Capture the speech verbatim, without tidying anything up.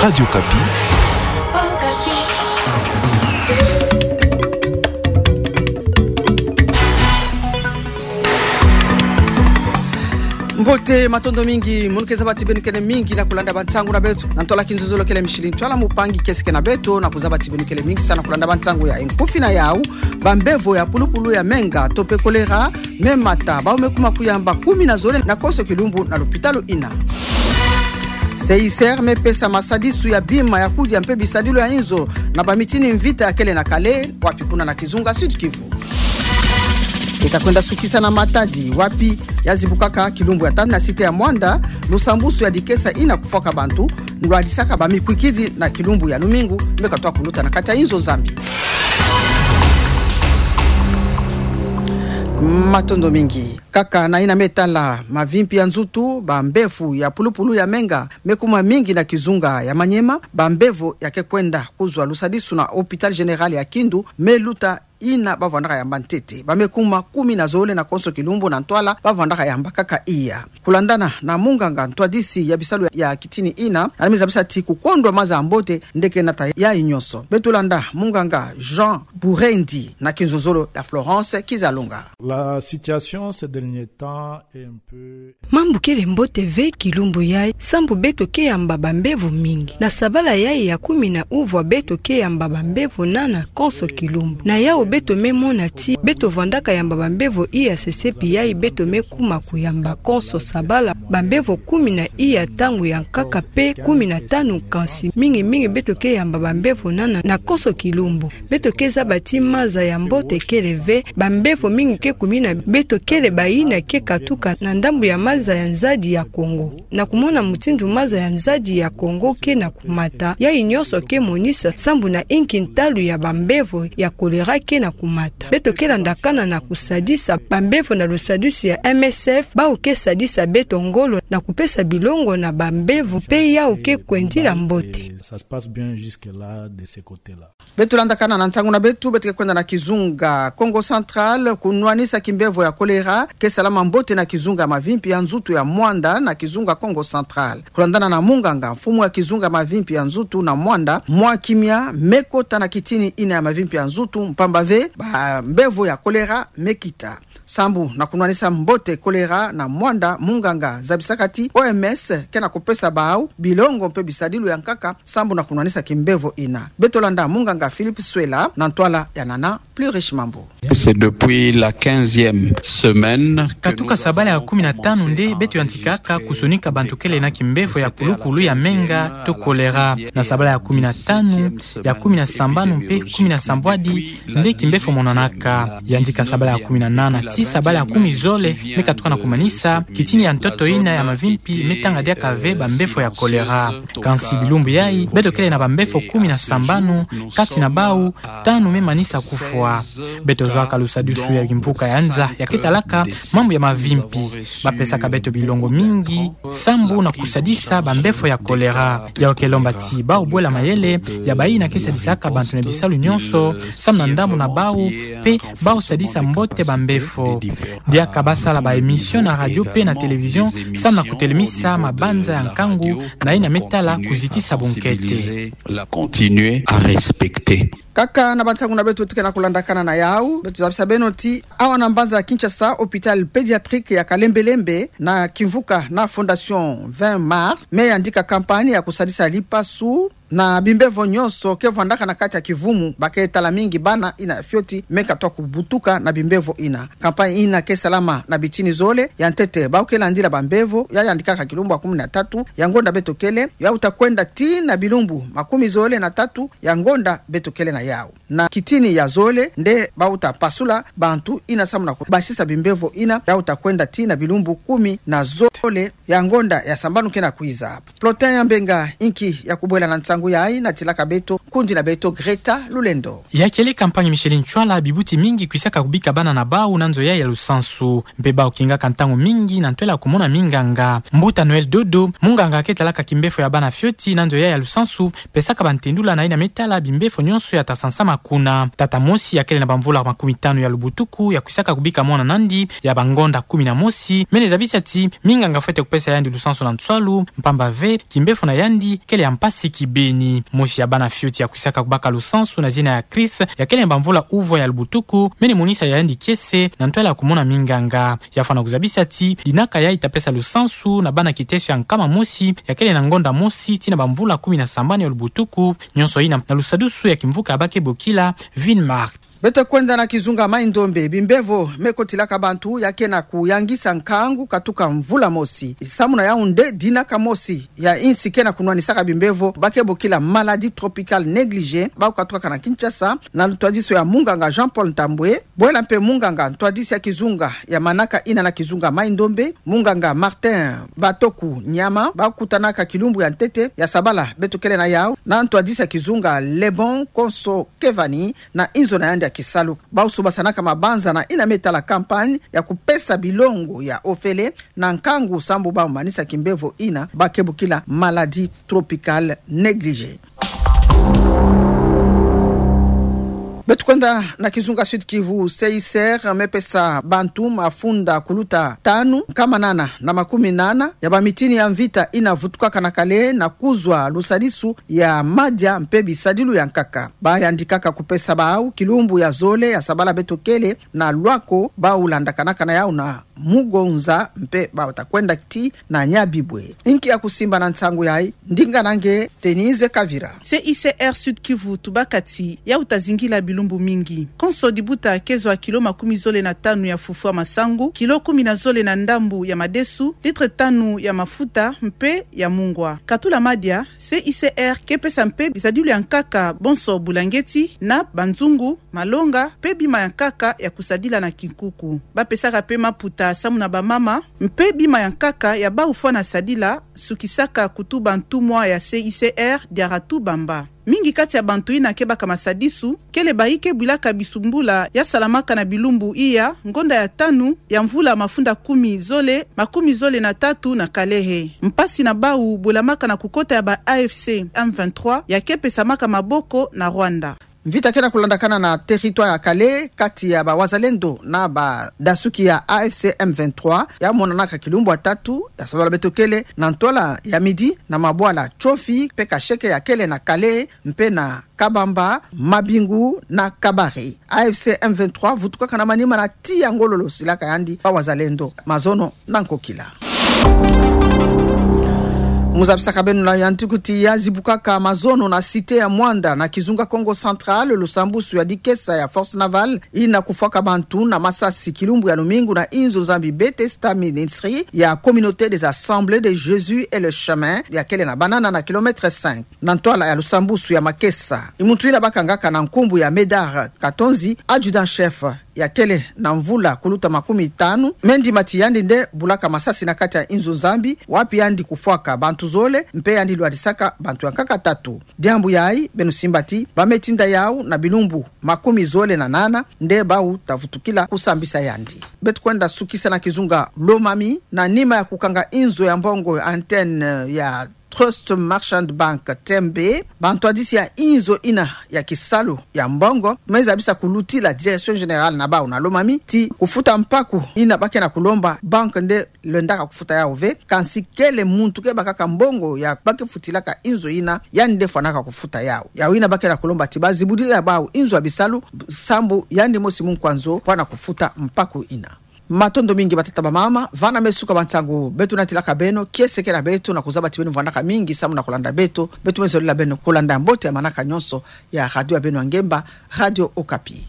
Radio Okapi. Mbote, matondo mingi, munu ke zaba ti beno kele mingi na kulanda bantangu na beto. Na ntwala kinzonzolo kele mishili, ntwala mpangi kiese ke na beto, na kuzaba ti beno kele mingi sana kulanda bantangu ya nkufi na yau. Bambevo ya pulupulu ya menga to pe choléra me mata bawu me kuma kuyamba kumi na zole na konso kilumbu na lopitalo ina. CICR me pesa masadisu ya bima ya kudia mpe bisadilu ya inzo na bamitini mvita ya kele na Kale, wapi kuna na kizunga Sud-Kivu. Eta kwenda sukisa na Matadi, wapi ya zibukaka kilumbu ya tanu na site ya Muanda, lusambusu ya dikesa ina kufwaka bantu, nlwadisaka bamikwikidi na kilumbu ya lumingu me katwa kuluta na kati ya inzo Nzambi. Matondo mingi. Kaka na ina me tala mavimpi ya nzutu, bambevo ya pulupulu ya menga me kuma mingi na kizunga ya Maniema, bambevo ya ke kwenda kuzwa lusadisu na Hôpital Général ya Kindu, me luta ina bavwandaka yamba ntete. Ba me kuma kumi na zole na konso kilumbu na ntwala bavwandaka yamba kaka iya. Kulandana na munganga ntwadisi ya bisalu ya kitini ina, yandi me zabisa ti kukondwa maza ya mbote nde ke nata yayi nyonso. Beto landa munganga Jean Burendi na kinzonzolo ya Florence Kizalunga. La situation ces derniers temps est un peu... Mambu kele mbote ve kilumbu yayi, sambu beto ke yamba bambevo mingi. Na sabala yayi ya kumi na uvwa beto ke yamba bambevo nana konso kilumbu. Na yau beto me mona ti beto vandaka yamba bambevo iya sesepi yayi beto me kuma kuyamba konso sabala bambevo kumi na iya ntangu ya nkaka pe kumi na tanu, kansi mingi mingi beto ke yamba bambevo nana na konso kilumbu. Beto ke zaba ti maza ya mbote kele ve, bambevo mingi ke kumina beto kele bayina ke katuka na ndambu ya maza ya nzadi ya Kongo. Na kumona mutindu maza ya nzadi ya Kongo ke na kumata, yayi nyonso ke monisa sambu na inki ntalu ya bambevo ya choléra ke na kumata. Beto ke landakana na kusadisa bambevo na lusadisi ya M S F, bawu ke sadisa beto ngolo na kupesa bilongo na bambevo, pe yawu ke kwendila mbote. Ça se passe bien jusque-là, de ce côté-là. Beto landakana na ntangu na beto, beto ke kwenda na kizunga Kongo Central, kunwanisa kimbevo ya choléra ke salama mbote na kizunga mavimpi ya nzutu ya Muanda na kizunga Kongo Central. Kulandana na munganga, mfumu ya kizunga mavimpi ya nzutu na Muanda, mwa kimia me kota na kitini ina ya mavimpi ya nzutu, mpamba ve bambevo ya choléra me kita. Sambu na kunwanisa mbote choléra na Muanda, munganga zabisaka ti O M S ke na kupesa bawu bilongo mpe bisadilu ya nkaka sambu na kunwanisa kimbevo ina. Beto landa munganga Philippe Swela na ntwala ya Nana Plus Riche Mambu. C'est depuis la quinzième semaine que... Katuka sabala ya kumi na tanu nde beto yantikaka kusonika bantu kele na kimbevo ya pulupulu ya menga to choléra. Na sabala ya kumi na tanu, ya kumi na sambanu mpe kumi na sambwadi nde kimbevo monanaka. Yandika sabala ya kumi na nana ti sabala ya kumi zole, me katuka na kumanisa kitini ya ntoto ina ya mavimpi me tanga diaka ve bambevo ya choléra. Kansi bilumbu yayi, beto kele na bambevo kumi na sambanu, kati na bawu tanu me manisa kufwa. Beto zwaka lusadisi ya kimvuka ya nza ya ke talaka mambu ya mavimpi. Ba pesaka beto bilongo mingi sambu na kusadisa bambevo ya choléra. Yau ke lomba ti bawu bwela mayele ya bayina ke sadisaka bantu na bisalu nyonso, sambu na ndambu na bawu, pe bawu sadisa mbote bambevo. Diaka ba sala ba émission na radio pe na télévision, sambu na kutelemisa mabanza ya nkangu na yina me tala kuzitisa bunkete. La continuer à respecter. Kaka na bantangu na beto tuke na kulandakana na yau, beto zabisa beno ti awa na mbanza ya Kinshasa, hôpital pédiatrique ya kalembelembe na kimvuka na Fondation vingt mars me yandika campagne ya kusadisa lipasu na bimbevo nyonso ke vandaka na kati ya kivumu, ba ke tala mingi bana yina fioti me katwa kubutuka na bimbevo ina. Campagne ina ke salama na bitini zole. Ya ntete, bawu ke landila bambevo ya yandikaka kilumbu ya kumi na tatu ya ngonda beto kele, ya uta kwenda tii na bilumbu makumi zole na tatu ya ngonda beto kele na yau. Na kitini ya zole nde ba uta pasula bantu yina sambu na kubasisa bimbevo yina, ya uta kwenda tii na bilumbu kumi na zole ya ngonda ya sambanu ke na kwiza. Plotin ya Mbenga, inki ya kubwela na nsangu yayi, natilaka beto Kundi na beto Greta Lulendo. Ya kele campagne Micheline Ntsoila, bibuti mingi kwisaka kubika bana na bau na nzo yayi ya lusansu. Mpe bau kingaka ntangu mingi na ntwela kumona minganga. Mbuta Noël Dodo, munganga ke talaka kimbefo ya bana fioti na nzo yayi ya lusansu, pesaka bantendula na yina me tala bimbefo nyonso ya ta sansama kuna. Tata mosi ya kele na bamvula makumi tanu ya lubutuku ya kwisaka kubika mwana nandi ya bangonda kumi na mosi, mene zabisa ti minganga fwete kupesa yandi lusansu na nswalu, mpamba ve kimbefo na yandi kele ya mpasi kibeni. Mosi ya bana fioti ya kwisaka kubaka lusansu na zina ya Chris, ya kele na bamvula uvwa ya lubutuku, mene monisa yandi kiese na ntwela kumona minganga. Ya fwana kuzabisa ti dinaka yayi ta pesa lusansu na bana kiteso ya nkama mosi ya kele na ngonda mosi tii na bamvula kumi na sambanu ya lubutuku, nyonso yina na lusadusu ya kimvuka ya ba ke bokila Vinmark. Beto kwenda na kizunga Mai-Ndombe. Bimbevo me kotilaka bantu ya ke na kuyangisa nkangu katuka mvula mosi. Samu na yau nde dinaka mosi ya insi ke na kunwanisaka bimbevo ba ke bokila maladie tropicale négligée, bau katukaka na Kinshasa, na ntwadisi ya munganga Jean-Paul Ntambwe, bwela mpe munganga ntwadisi ya kizunga ya manaka yina na kizunga Mai-Ndombe, munganga Martin Batoku Nyama, bau kutanaka kilumbu ya ntete ya sabala beto kele na yau na ntwadisi ya kizunga Lebon Konso Kevani na inzo na yandi ya kisalu. Bau subasanaka mabanza na yina me tala campagne ya kupesa bilongo ya ofele na nkangu sambu bau manisa kimbevo yina ba ke bokila maladie tropicale négligée. Beto kwenda na kizunga Sud-Kivu. C I C R me pesa bantu mafunda kuluta tanu nkama nana na makumi nana ya bamitini ya mvita yina vutukaka na Kalehe na kuzwa lusadisu ya madia mpe bisadilu ya nkaka. Ba yandikaka kupesa bau kilumbu ya zole ya sabala beto kele na lwako bau landakanaka na yau na Mugonza mpe bau ta kwenda tii na Nyabibwe. Inki ya kusimba na nsangu yayi? Ndinga na nge Denise Kavira. C I C R Sud-Kivu tubaka ti yau ta zingila bilumbu mingi. Konso dibuta ke zwa kilo makumi zole na tanu ya fufu ya masangu, kilo kumi na zole na ndambu ya madesu, litre tanu ya mafuta mpe ya mungwa. Katula madia, C I C R ke pesa mpe bisadilu ya nkaka bonso bulangeti na banzungu, malonga, mpe bima ya nkaka ya kusadila na kinkuku. Ba pesaka mpe maputa samu na bamama, mpe bima ya nkaka ya bau fwana sadila, sukisaka kutuba ntumwa ya C I C R Diaratou Bamba. Mingi kati ya bantu yina ke baka masadisu, kele bayi ke bwilaka bisumbula ya salamaka na bilumbu iya, ngonda ya tanu ya mvula mafunda kumi zole, makumi zole na tatu na Kalehe. Mpasi na bau bwelamaka na kukota ya ba A F C M vingt-trois ya ke pesamaka maboko na Rwanda. Mvita ke na kulandakana na territoire ya Kalehe kati ya ba wazalendo na badasuki ya A F C M vingt-trois, ya monanaka kilumbu ya tatu ya sabala beto kele na ntwala ya midi na mabwala Tsofi mpe Kasheke ya kele na Kalehe mpe na Kabamba, Mabingu na Kabare. A F C M vingt-trois vutukaka na manima na tiya ngolo losilaka yandi ba wazalendo. Mazono na nkokila. Mu zabisaka beno na yantiku ti ya zibukaka mazono na cité ya Muanda na kizunga Kongo Central, lusambusu ya dikesa ya Force Navale yina kufwaka bantu na masasi kilumbu ya lumingu na inzo Nzambi Bethesda Ministry ya Communauté des Assemblées de Jésus et le Chemin ya kele na banana na kilomètre cinq. Na ntwala ya lusambusu ya makesa, muntu yina bakangaka na nkumbu ya Médard Katonzi, adjudant-chef ya kele na mvula kuluta makumi tanu, me ndima ti yandi nde bulaka masasi na kati ya inzo Nzambi, wapi yandi kufwaka bantu zole, mpe yandi lwadisaka bantu ya nkaka tatu. Diambu yayi, beno simba ti ba me tinda yau na bilumbu makumi zole na nana, nde bau ta vutukila kusambisa yandi. Beto kwenda sukisa na kizunga Lomami, na nima ya kukanga inzo ya mbongo, antenne ya Trust Merchant Bank, T M B, bantwadisi ya inzo yina ya kisalu ya mbongo me zabisa kulutila direction générale na bau na Lomami ti kufuta mpaku yina ba ke na kulomba banque nde lwendaka kufuta yau ve, kansi kele muntu ke bakaka mbongo ya ba ke futilaka inzo yina, yandi nde fwanaka kufuta yau. Yau yina ba ke na kulomba ti ba zibudila bau inzo ya bisalu, sambu yandi mosi munkwa nzo fwana kufuta mpaku yina. Matondo mingi batata bamama, vana me suka ba nsangu beto natilaka beno, kiese kele na beto na kuzaba ti beno vwandaka mingi samu na kulanda beto, beto me zolila beno kulanda mbote ya manaka nyonso ya radio ya beno ya ngemba, Radio Okapi.